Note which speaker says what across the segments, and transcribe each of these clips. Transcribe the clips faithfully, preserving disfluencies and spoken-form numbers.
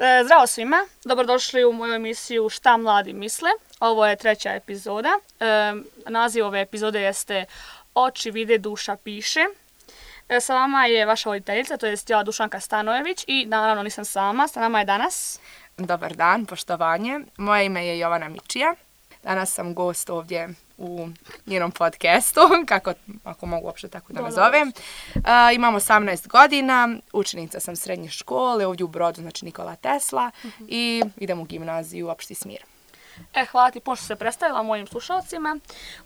Speaker 1: E, zdravo svima, dobrodošli u moju emisiju Šta mladi misle. Ovo je treća epizoda. E, naziv ove epizode jeste Oči vide, duša piše. E, sa vama je vaša voditeljica, to jest ja, Dušanka Stanojević, i naravno nisam sama, sa nama je danas.
Speaker 2: Dobar dan, poštovanje. Moje ime je Jovana Mičija. Danas sam gost ovdje u njenom podcastu, kako, ako mogu uopšte tako da nazovem. Uh, imam osamnaest godina, učenica sam srednje škole, ovdje u Brodu, znači Nikola Tesla, uh-huh. i idem u gimnaziju Opšti Smir.
Speaker 1: E, hvala ti puno što se predstavila mojim slušalcima.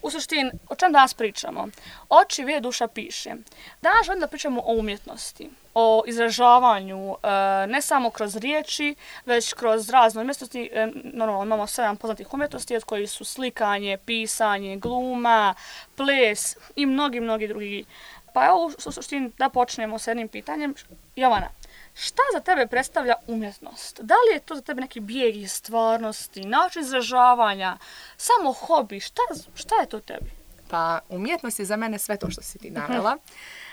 Speaker 1: U suštini, o čem danas pričamo? Oči vide, duša piše. Danas želim da pričamo o umjetnosti, o izražavanju, ne samo kroz riječi, već kroz razne umjetnosti. Normalno, imamo sedam poznatih umjetnosti, od kojih su slikanje, pisanje, gluma, ples i mnogi, mnogi drugi. Pa evo, u suštini, da počnemo s jednim pitanjem. Jovana, šta za tebe predstavlja umjetnost? Da li je to za tebe neki bijeg iz stvarnosti, način izražavanja, samo hobi? Šta, šta je to tebi?
Speaker 2: Pa, umjetnost je za mene sve to što si ti navela.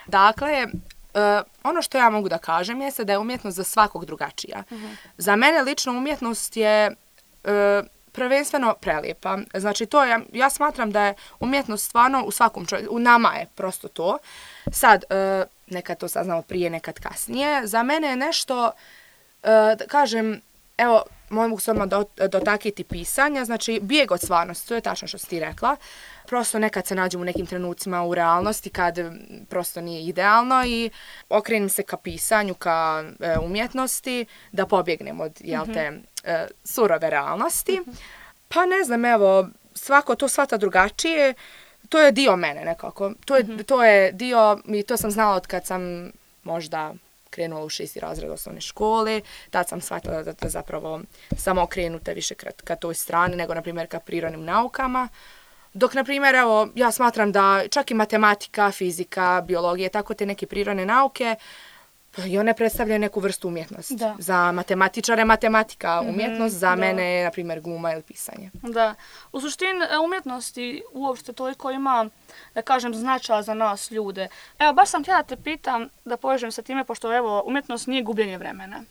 Speaker 2: Dakle, Uh, ono što ja mogu da kažem jeste da je umjetnost za svakog drugačija. Uh-huh. Za mene lično umjetnost je uh, prvenstveno prelijepa. Znači, to je, ja smatram da je umjetnost stvarno u svakom čovjeku, u nama je prosto to. Sad, uh, nekad to saznamo prije, nekad kasnije. Za mene je nešto, uh, da kažem, evo, mogu se odmah dotakiti pisanja, znači bijeg od stvarnosti, to je tačno što si ti rekla. Prosto nekad se nađem u nekim trenucima u realnosti kad prosto nije idealno i okrenem se ka pisanju, ka e, umjetnosti, da pobjegnem od, jel te, e, surove realnosti. Pa ne znam, evo, svako to shvata drugačije, to je dio mene nekako. To je, to je dio, i to sam znala od kad sam možda krenula u šesti razred osnovne škole, tad sam shvatila da, da zapravo samo okrenuta više ka, ka toj strani nego, na primjer, ka prirodnim naukama. Dok, na primjer, evo, ja smatram da čak i matematika, fizika, biologija, tako te neke prirodne nauke, i one predstavljaju neku vrstu umjetnosti. Da. Za matematičare matematika umjetnost, mm-hmm, za da. mene je, na primjer, gluma ili pisanje.
Speaker 1: Da. U suštini umjetnosti uopšte toliko ima, da kažem, značaja za nas ljude. Evo, baš sam htjela te pitam da povežem sa time, pošto evo, umjetnost nije gubljenje vremena.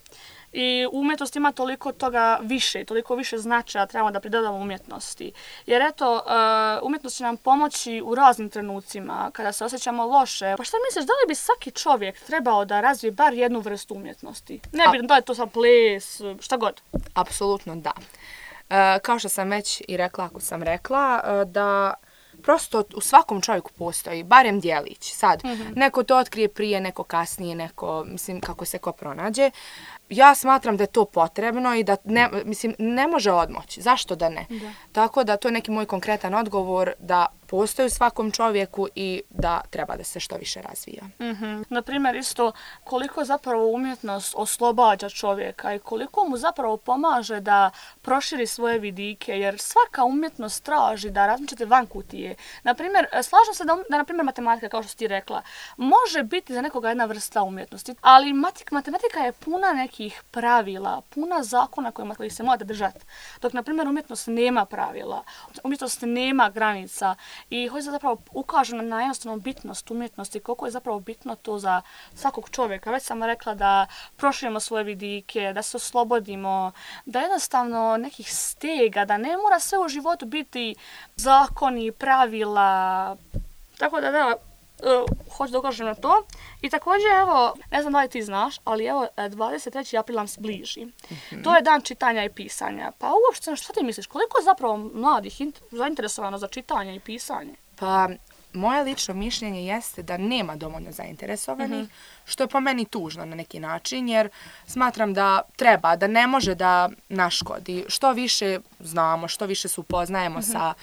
Speaker 1: I umjetnost ima toliko toga više, toliko više značaja trebamo da pridodamo umjetnosti. Jer eto, uh, umjetnost će nam pomoći u raznim trenucima, kada se osjećamo loše. Pa šta misliš, da li bi svaki čovjek trebao da razvije bar jednu vrstu umjetnosti? Ne bi da je to sad ples, šta god.
Speaker 2: Apsolutno da. Uh, kao što sam već i rekla, ako sam rekla, uh, da prosto u svakom čovjeku postoji, barem dijelić. Sad, mm-hmm. neko to otkrije prije, neko kasnije, neko, mislim, kako se ko pronađe. Ja smatram da je to potrebno i da ne, mislim, ne može odmoći. Zašto da ne? Da. Tako da to je neki moj konkretan odgovor da postoji u svakom čovjeku i da treba da se što više razvija.
Speaker 1: Mm-hmm. Naprimjer, isto koliko zapravo umjetnost oslobađa čovjeka i koliko mu zapravo pomaže da proširi svoje vidike, jer svaka umjetnost traži da razmišljate van kutije. Naprimjer, slažem se da, da naprimjer, matematika, kao što si ti rekla, može biti za nekoga jedna vrsta umjetnosti, ali matematika je puna nekih pravila, puna zakona kojima koji se morate držati. Dok, na primjer, umjetnost nema pravila, umjetnost nema granica i hoće zapravo ukažu na jednostavnu bitnost umjetnosti, koliko je zapravo bitno to za svakog čovjeka. Već sam rekla da proširimo svoje vidike, da se oslobodimo, da jednostavno nekih stega, da ne mora sve u životu biti zakoni, pravila. Tako da da, Uh, hoću da ukažem na to. I također, evo, ne znam da li ti znaš, ali evo, dvadeset treći april nam se bliži. Mm-hmm. To je dan čitanja i pisanja. Pa uopšte, što ti misliš, koliko je zapravo mladih zainteresovano za čitanje i pisanje?
Speaker 2: Pa, moje lično mišljenje jeste da nema dovoljno zainteresovanih, mm-hmm. što je po meni tužno na neki način, jer smatram da treba, da ne može da naškodi. Što više znamo, što više se upoznajemo mm-hmm. sa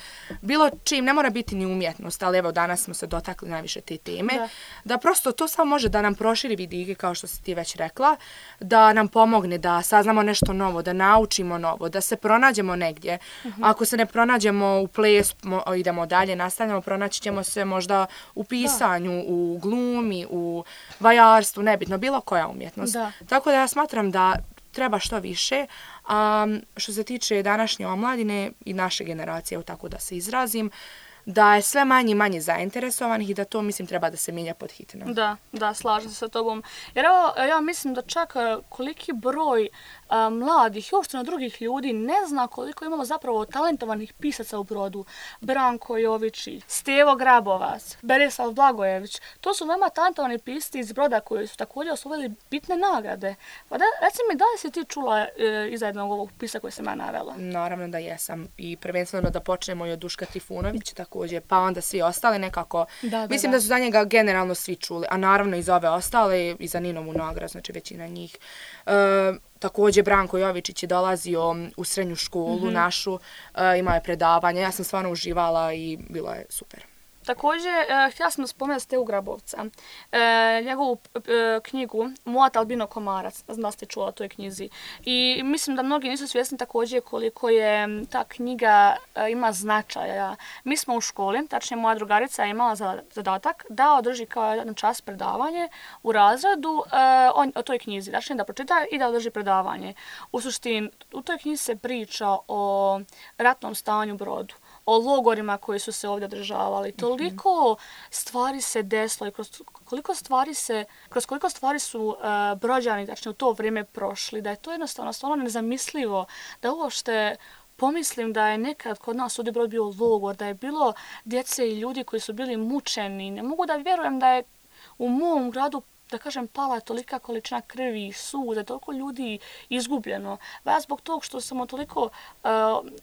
Speaker 2: bilo čim, ne mora biti ni umjetnost, ali evo danas smo se dotakli najviše te teme, da, da prosto to samo može da nam proširi vidike, kao što si ti već rekla, da nam pomogne da saznamo nešto novo, da naučimo novo, da se pronađemo negdje. Mm-hmm. Ako se ne pronađemo u plesu, idemo dalje, nastavljamo, pronaći ćemo se možda u pisanju, da. u glumi, u vajarstvu, nebitno, bilo koja umjetnost. Da. Tako da ja smatram da treba što više. A što se tiče današnje omladine i naše generacije, tako da se izrazim, da je sve manje i manje zainteresovanih i da to, mislim, treba da se mijenja pod hitno.
Speaker 1: Da, da, slažem se sa tobom. Jer evo, ja mislim da čak koliki broj a, mladih i uopšteno drugih ljudi ne zna koliko imamo zapravo talentovanih pisaca u Brodu. Branko Jovičić, Stevo Grabovac, Berislav Blagojević. To su veoma talentovani pisci iz Broda koji su također osvojili bitne nagrade. Pa da, reci mi, da li si ti čula e, iza jednog ovog pisa koje sam ja navela?
Speaker 2: Naravno da jesam. I prvenstveno da počnemo i od Duška Trifunovića također, pa onda svi ostali nekako. Da, da, Mislim da. da su za njega generalno svi čuli, a naravno i za ove ostale, i za Ninovu nagradu, znači većina njih. E, također Branko Jovičić je dolazio u srednju školu mm-hmm. našu, e, imao je predavanje, ja sam stvarno uživala i bilo je super.
Speaker 1: Također, eh, htjela sam da spomenuti Stevu Grabovca, eh, njegovu eh, knjigu Moat Albino Komarac, znam da ste čula o toj knjizi. I mislim da mnogi nisu svjesni također koliko je ta knjiga eh, ima značaja. Mi smo u školi, tačnije moja drugarica je imala zadatak da održi kao jedan čas predavanje u razredu eh, o, o toj knjizi, tačnije da pročita i da održi predavanje. U suštini, u toj knjizi se priča o ratnom stanju u Brodu, o logorima koji su se ovdje održavali. Toliko stvari se desilo i kroz koliko stvari se, kroz koliko stvari su uh, Brođani, znači u to vrijeme prošli, da je to jednostavno stvarno nezamislivo, da uopšte pomislim da je nekad kod nas ovdje Brod bio logor, da je bilo djece i ljudi koji su bili mučeni. Ne mogu da vjerujem da je u mom gradu, da kažem, pala je tolika količina krvi i suza, toliko ljudi izgubljeno. Ja zbog tog što samo toliko, uh,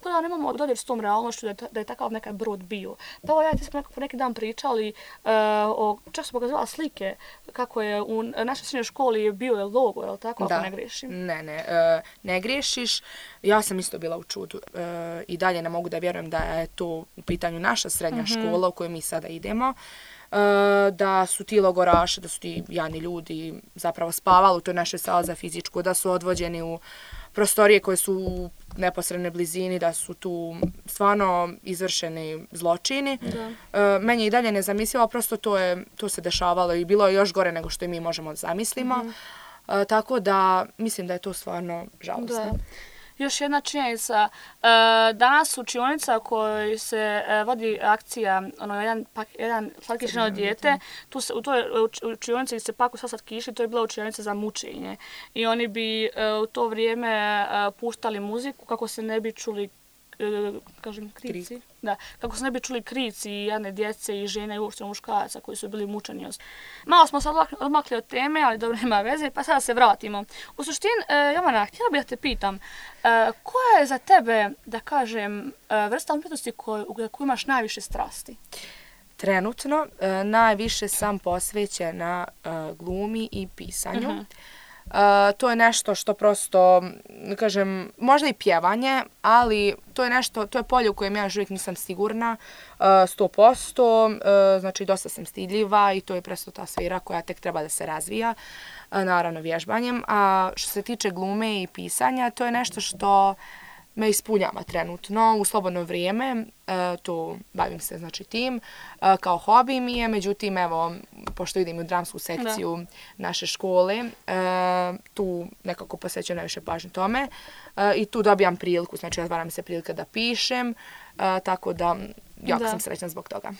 Speaker 1: da nemamo dodir s tom realnošću da je, da je takav nekad Brod bio. Pa ovo ja ti smo nekako neki dan pričali, uh, o, čak su pokazala slike kako je u našoj srednjoj školi bio je logor, je li tako,
Speaker 2: da.
Speaker 1: Ako ne grešim?
Speaker 2: Ne, ne, uh, ne grešiš. Ja sam isto bila u čudu uh, i dalje ne mogu da vjerujem da je to u pitanju naša srednja mm-hmm. škola u kojoj mi sada idemo. Uh, da su ti logoraši, da su ti jadni ljudi zapravo spavali u toj našoj sali za fizičku, da su odvođeni u prostorije koje su u neposrednoj blizini, da su tu stvarno izvršeni zločini. Uh, meni je i dalje nezamislivo, prosto to, je, to se dešavalo i bilo je još gore nego što i mi možemo zamislimo. Mm-hmm. Uh, tako da mislim da je to stvarno žalostno. Da.
Speaker 1: Još jedna činjenica, danas učionica u kojoj se vodi akcija, ono, jedan, pak, jedan slatkišeno dijete, tu se, u toj učionici se paku sa slatkiši, to je bila učionica za mučenje. I oni bi u to vrijeme puštali muziku kako se ne bi čuli, kažem, krici. Krik. Da, kako se ne bi čuli krici i jedne djece i žene i uopšte muškaraca koji su bili mučeni. Malo smo sad odmakli od teme, ali dobro, nema veze, pa sada se vratimo. U suštini, e, Jovana, htjela bih da te pitam, e, koja je za tebe, da kažem, e, vrsta umjetnosti koju, u kojoj imaš najviše strasti?
Speaker 2: Trenutno, e, najviše sam posvećena e, glumi i pisanju. Uh-huh. Uh, to je nešto što prosto, kažem, možda i pjevanje, ali to je nešto, to je polje u kojem ja još uvijek nisam sigurna, uh, sto posto, uh, znači dosta sam stidljiva i to je prosto ta sfera koja tek treba da se razvija, uh, naravno vježbanjem. A što se tiče glume i pisanja, to je nešto što me ispunjava trenutno u slobodno vrijeme, e, tu bavim se znači tim, e, kao hobi mi je, međutim evo, pošto idem u dramsku sekciju da. naše škole, e, tu nekako posvećujem najviše pažnje tome e, i tu dobijam priliku, znači otvara mi se prilika da pišem, e, tako da jako da. sam srećna zbog toga.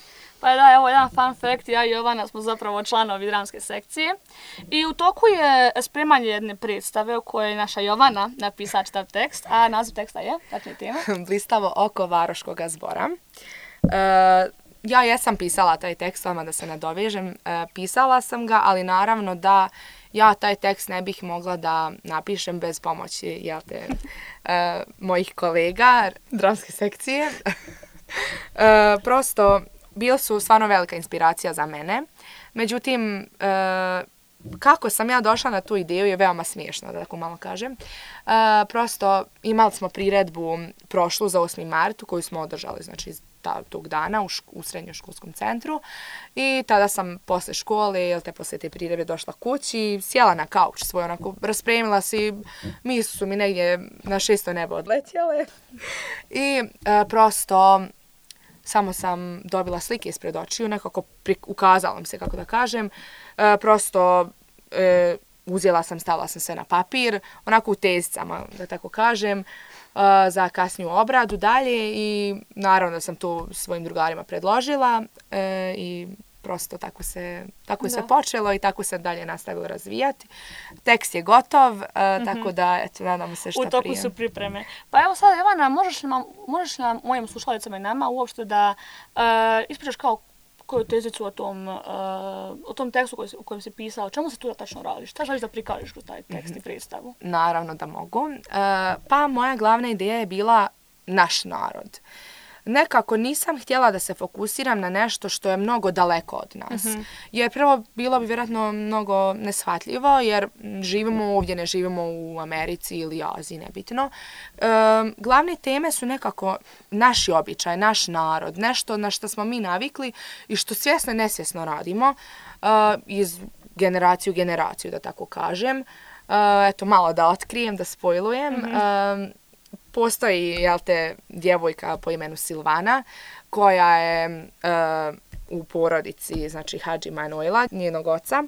Speaker 1: Pa da, evo jedan fun fact, ja i Jovana smo zapravo članovi dramske sekcije i u toku je spremanje jedne predstave u kojoj je naša Jovana napisala čitav tekst, a naziv teksta je, dakle tema.
Speaker 2: Blistavo oko Varoškog zbora. E, ja jesam pisala taj tekst, vama da se nadovežem, e, pisala sam ga, ali naravno da ja taj tekst ne bih mogla da napišem bez pomoći, jel te, e, mojih kolega dramske sekcije. e, prosto, bili su stvarno velika inspiracija za mene. Međutim, e, kako sam ja došla na tu ideju je veoma smiješno, da tako malo kažem. E, prosto imali smo priredbu prošlu za osmi mart koju smo održali znači, ta, tog dana u, šk- u srednjoškolskom centru. I tada sam posle škole, ili te posle te priredbe došla kući, sjela na kauč svoj, onako raspremila se, misli su mi negdje na šesto nebo odletjele. I e, prosto samo sam dobila slike ispred očiju, nekako prik- ukazala mi se, kako da kažem. E, prosto e, uzela sam, stavila sam sve na papir, onako u tezicama, da tako kažem, e, za kasniju obradu dalje i naravno da sam to svojim drugarima predložila e, i prosto tako se, tako je sve počelo i tako se dalje nastavilo razvijati. Tekst je gotov, uh, mm-hmm. tako da, eto, nadamo se šta prije.
Speaker 1: U toku su pripreme. Pa evo sad, Jovana, možeš li nam, možeš li nam mojim slušalicama i nama uopšte da uh, ispričaš kao koju tezicu o tom, uh, o tom tekstu koji, u kojem si pisao, o čemu se tu tačno radi? Šta želiš da prikažeš kroz taj tekst i predstavu?
Speaker 2: Naravno da mogu. Uh, pa moja glavna ideja je bila naš narod. Nekako nisam htjela da se fokusiram na nešto što je mnogo daleko od nas. Mm-hmm. Jer prvo bilo bi vjerojatno mnogo neshvatljivo jer živimo ovdje, ne živimo u Americi ili Aziji, nebitno. E, glavne teme su nekako naši običaj, naš narod, nešto na što smo mi navikli i što svjesno i nesvjesno radimo e, iz generacije u generaciju, da tako kažem. E, eto, malo da otkrijem, da spojlujem. Mm-hmm. E, Postoji, jel te, djevojka po imenu Silvana, koja je uh, u porodici, znači, Hadži Manojla, njenog oca.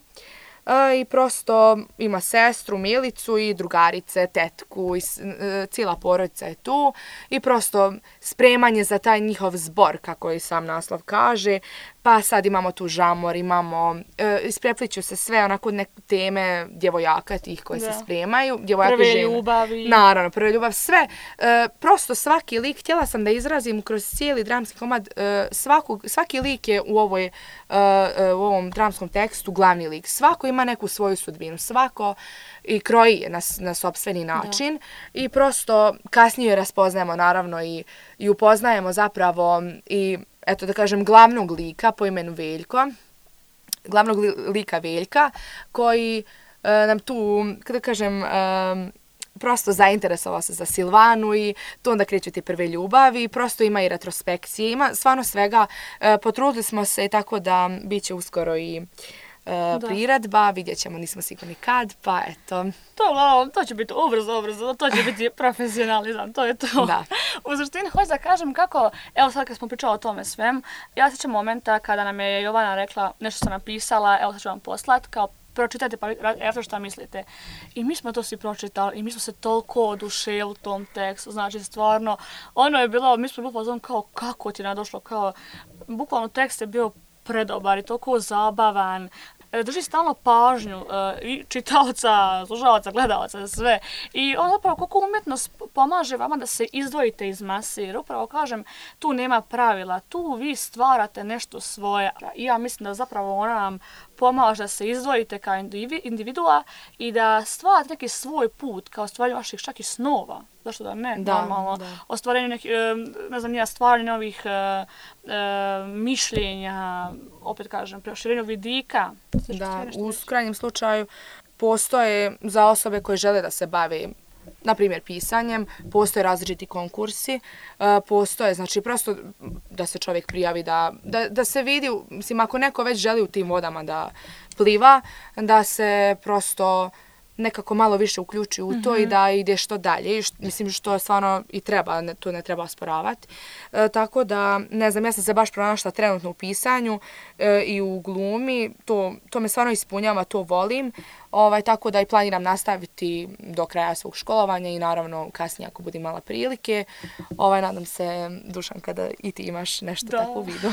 Speaker 2: Uh, I prosto ima sestru, Milicu i drugarice, tetku, i uh, cijela porodica je tu. I prosto spremanje za taj njihov zbor, kako i sam naslov kaže. Pa sad imamo tu žamor, imamo, e, isprepliću se sve onako neke teme djevojaka tih koje da. se spremaju. Djevojaka
Speaker 1: prve
Speaker 2: žene.
Speaker 1: ljubavi.
Speaker 2: Naravno, prve ljubav, sve. E, prosto svaki lik, htjela sam da izrazim kroz cijeli dramski komad, e, svaku, svaki lik je u, ovoj, e, e, u ovom dramskom tekstu glavni lik. Svako ima neku svoju sudbinu, svako i kroji je na, na sopstveni način. Da. I prosto kasnije raspoznajemo naravno i, i upoznajemo zapravo i eto da kažem, glavnog lika po imenu Veljko, glavnog li, lika Veljka, koji e, nam tu, kada kažem, e, prosto zainteresovao se za Silvanu i tu onda kreću ti prve ljubavi, prosto ima i retrospekcije, ima stvarno svega, e, potrudili smo se tako da bit će uskoro i Uh, priredba, vidjet ćemo, nismo sigurni kad, pa eto.
Speaker 1: To, to će biti ubrzo, ubrzo, to će biti profesionalizam, to je to. Da. U suštini, hoću da kažem kako, evo sad kad smo pričali o tome svem, ja sjećam momenta kada nam je Jovana rekla nešto sam napisala, evo sad ću vam poslat, kao pročitajte pa evo šta mislite. I mi smo to svi pročitali i mi smo se toliko oduševili u tom tekstu, znači stvarno, ono je bilo, mi smo bili pozvani kao kako ti je nadošlo, kao, bukvalno tekst je bio predobar i toliko zabavan. Drži stalno pažnju uh, i čitaoca, slušalaca, gledalaca, sve. I on zapravo koliko umjetnost pomaže vama da se izdvojite iz mase. Jer upravo kažem, tu nema pravila, tu vi stvarate nešto svoje. I ja mislim da zapravo ona nam pomaže da se izdvojite kao individua i da stvarate neki svoj put kao stvaranje vaših čak i snova. Zašto da ne? Da, normalno. Da. Ostvarenje nekih, ne znam, nija stvaranje novih e, e, mišljenja, opet kažem, proširenju vidika.
Speaker 2: Da, u krajnjem slučaju postoje za osobe koje žele da se bave, na primjer, pisanjem, postoje različiti konkursi, postoje, znači, prosto da se čovjek prijavi, da, da, da se vidi, mislim, ako neko već želi u tim vodama da pliva, da se prosto nekako malo više uključi u to mm-hmm. i da ide što dalje. I što, mislim što stvarno i treba, ne, to ne treba osporavati. E, tako da, ne znam, ja sam se baš pronašla trenutno u pisanju e, i u glumi. To, to me stvarno ispunjava, to volim. Ovaj, tako da i planiram nastaviti do kraja svog školovanja i naravno kasnije ako budem imala prilike. Ovaj, nadam se, Dušan, kada i ti imaš nešto da. tako u vidu.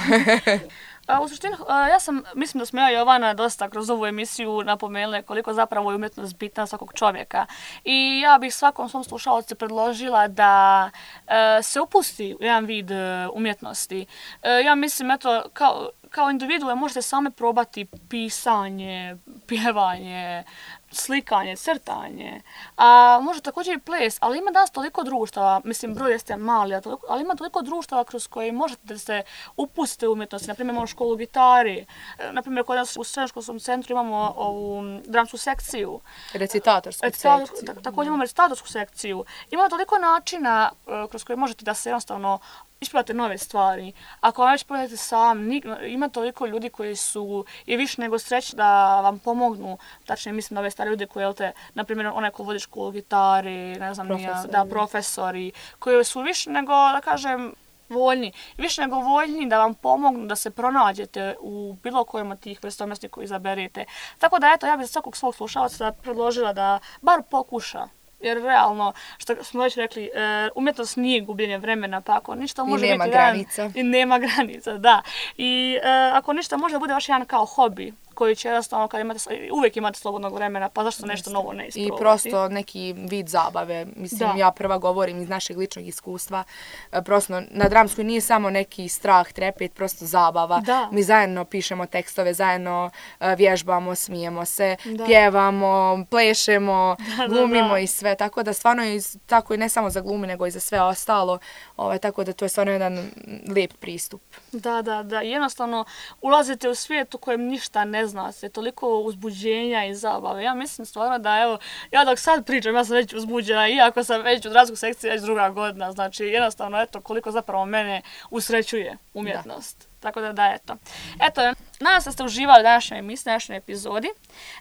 Speaker 1: A, u suštini, ja sam, mislim da smo ja i Jovana dosta kroz ovu emisiju napomenuli koliko zapravo je umjetnost bitna svakog čovjeka. I ja bih svakom svom slušalcu predložila da e, se upusti u jedan vid e, umjetnosti. E, ja mislim, eto, kao, kao individue možete same probati pisanje, pjevanje, slikanje, crtanje, a može također i ples, ali ima danas toliko društava, mislim broj jeste mali, ali ima toliko društava kroz koje možete da se upustite u umjetnosti, naprimjer imamo školu gitari, naprimjer kod nas u srednjoškolskom centru imamo ovu dramsku sekciju.
Speaker 2: Recitatorsku
Speaker 1: Recitator,
Speaker 2: sekciju.
Speaker 1: Također imamo recitatorsku sekciju. Ima toliko načina kroz koje možete da se jednostavno ispravate nove stvari. Ako vam već pogledate sam, ima toliko ljudi koji su i više nego srećni da vam pomognu, tačnije mislim na ove stare ljude koji, te, na primjer, onaj ko vodi školu gitari, ne znam, profesori. Da, profesori, koji su više nego, da kažem, voljni. Više nego voljni da vam pomognu da se pronađete u bilo kojima tih vrsta umjetnosti koji izaberete. Tako da, eto, ja bih za svakog svog slušalaca predložila da bar pokuša Jer realno, što smo već rekli, umjetnost nije gubljenje vremena, pa ako ništa može
Speaker 2: I nema
Speaker 1: biti
Speaker 2: granica.
Speaker 1: jedan, i nema granica, da. I e, ako ništa može da bude vaš jedan kao hobi, koji će jednostavno, kad imate, uvijek imate slobodnog vremena, pa zašto nešto novo ne isprobati?
Speaker 2: I prosto neki vid zabave. Mislim, da. Ja prva govorim iz našeg ličnog iskustva. Prosto, na dramskoj nije samo neki strah, trepet, prosto zabava. Da. Mi zajedno pišemo tekstove, zajedno vježbamo, smijemo se, da. Pjevamo, plešemo, da, glumimo da, da. I sve. Tako da stvarno je tako i ne samo za glumi, nego i za sve ostalo. Ovaj, tako da to je stvarno jedan lijep pristup.
Speaker 1: Da, da, da. Jednostavno, ulazite u svijet u kojem ništa ne zna se, toliko uzbuđenja i zabave. Ja mislim stvarno da, evo, ja dok sad pričam, ja sam već uzbuđena, iako sam već u dramskoj sekciji već druga godina. Znači, jednostavno, eto, koliko zapravo mene usrećuje umjetnost. Da. Tako da, da, eto. Eto, nadam se da ste uživali u današnjoj emisiji, današnjoj epizodi.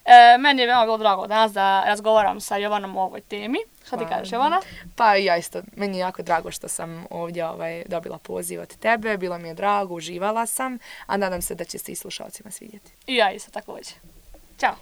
Speaker 1: E, meni je veoma bilo drago danas da razgovaram sa Jovanom o ovoj temi. Šta ti kažeš, Jovana?
Speaker 2: Pa ja isto, meni je jako drago što sam ovdje ovaj, dobila poziv od tebe, bilo mi je drago, uživala sam, a nadam se da će se i slušalcima svidjeti.
Speaker 1: I ja isto također. Ćao!